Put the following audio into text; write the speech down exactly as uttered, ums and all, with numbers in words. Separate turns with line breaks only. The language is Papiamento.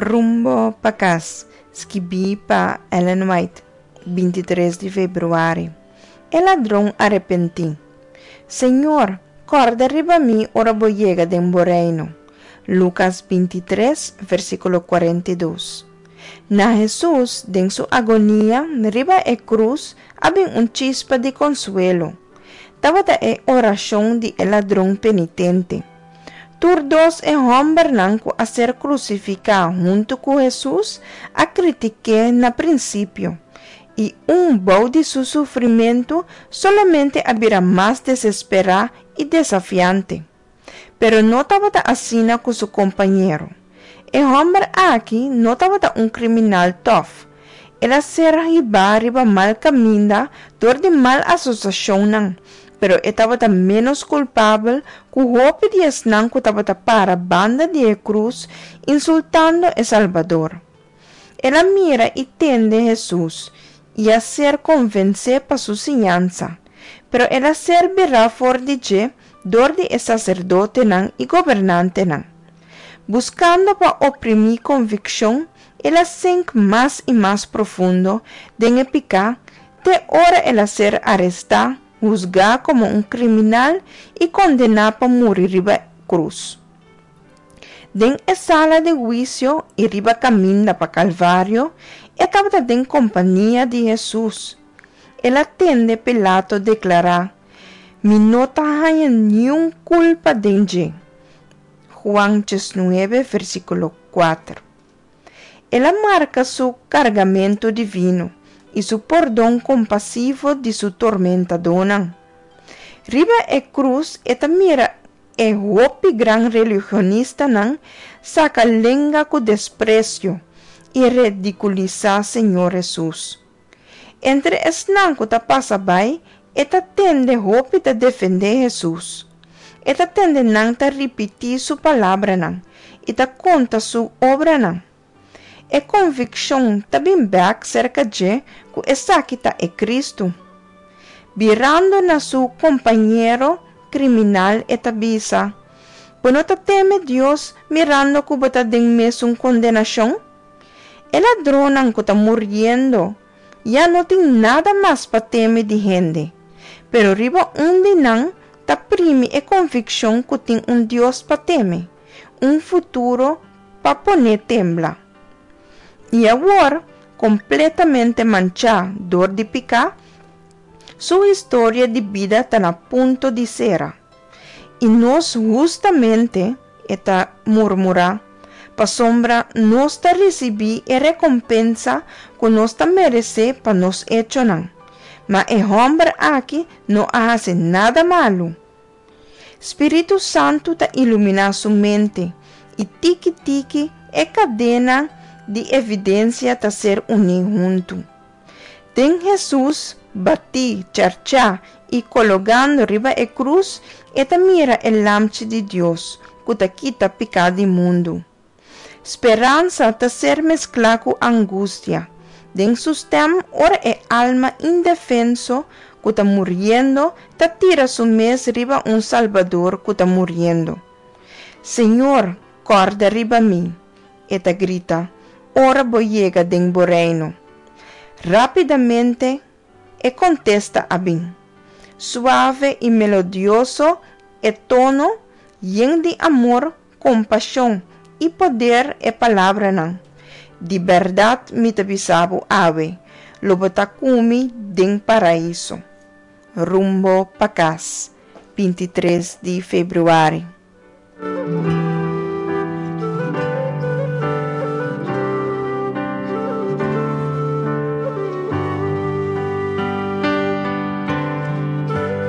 Rumbo pa kas, skibí pa Ellen White, bintitres di febrüari. E ladron arepentí. Señor, kòrda riba mi ora bo yega den bo reino. Lukas bintitres, versíkulo kuarenta i dos. Na Hesus, den su agonia riba e krus, a bin un chispa di konsuelo. Tabata e orashon di e ladron penitente. Tur dos e hòmbernan ku a ser krusifiká huntu ku Hesus a kritik'é na prinsipio, i un bou di su sufrimentu solamente a bira mas desesperá i desafiante. Pero no tabata asina ku su kompañero. E hòmber aki no tabata un kriminal tòf. El a ser hibá riba mal kaminda dor di mal asosiashonnan, pero e tabata ménos kulpabel ku hopi di esnan ku tabata para banda di e krus insultando e Salbador. El a mira i tende Hesus i a ser konvensé pa su siñansa, pero el a ser birá for di dje dor di e saserdotenan i gobernantenan. Buskando pa oprimí konvikshon, el a sink mas i mas profundo den e piká te ora el a ser arestá, husgá komo un kriminal i kondená pa muri riba krus. Den e sala di huisio i riba kaminda pa Kalvario, e tabata den kompania di Hesus. El a tende Pilato deklará, Mi no ta haña niun kulpa den dje. Juan diesnuebe, versíkulo kuater. El a marka su kargamentu divino i su pordon kompasivo di su tormentadónan. Riba e krus e ta mira e hopi gran religionistanan saka lenga ku despresio i redikulisá Señor Hesus. Entre esnan ku ta pasa bai, e ta tende hopi ta defendé Hesus. E ta tende nan ta ripití su palabranan i ta konta su obranan. E konvikshon ta bin bèk serka dje ku esaki ta e Kristu. Birando na su kompañero kriminal e ta bisa, Bo no ta teme Dios mirando ku bo ta den mesun kondenashon? E ladronnan ku ta muriendo ya no tin nada mas pa teme di hende, pero riba un di nan ta primi e konvikshon ku tin un Dios pa teme, un futuro pa pon'é tembla. I awor, kompletamente manchá dor di piká, su historia di bida ta na punto di sera. I nos hustamente, e ta murmurá, pasobra nos ta risibí e rekompensa ku nos ta meresé pa nos echonan. Ma e hòmber aki no a hasi nada malu. Spiritu Santu ta iluminá su mente, i tiki tiki e kadena di evidensia ta ser uní huntu. Den Hesus batí, charchá i kologando riba e krus, e ta mira e Lamchi di Dios ku ta kita piká di mundu. Speransa ta ser mesklá ku angustia den su stèm ora e alma indefenso ku ta muriendo ta tira su mes riba un Salbador ku ta muriendo. Señor, kòrda riba mi, e ta grita, ora bo yega den bo reino. Rápidamente e kontesta a bin. Suave i melodioso e tono, yen di amor, kompashon i poder e palabranan, Di bèrdat mi ta bisa bo awe, lo bo ta ku mi den Paraiso. Rumbo pa kas, bintitres di febrüari.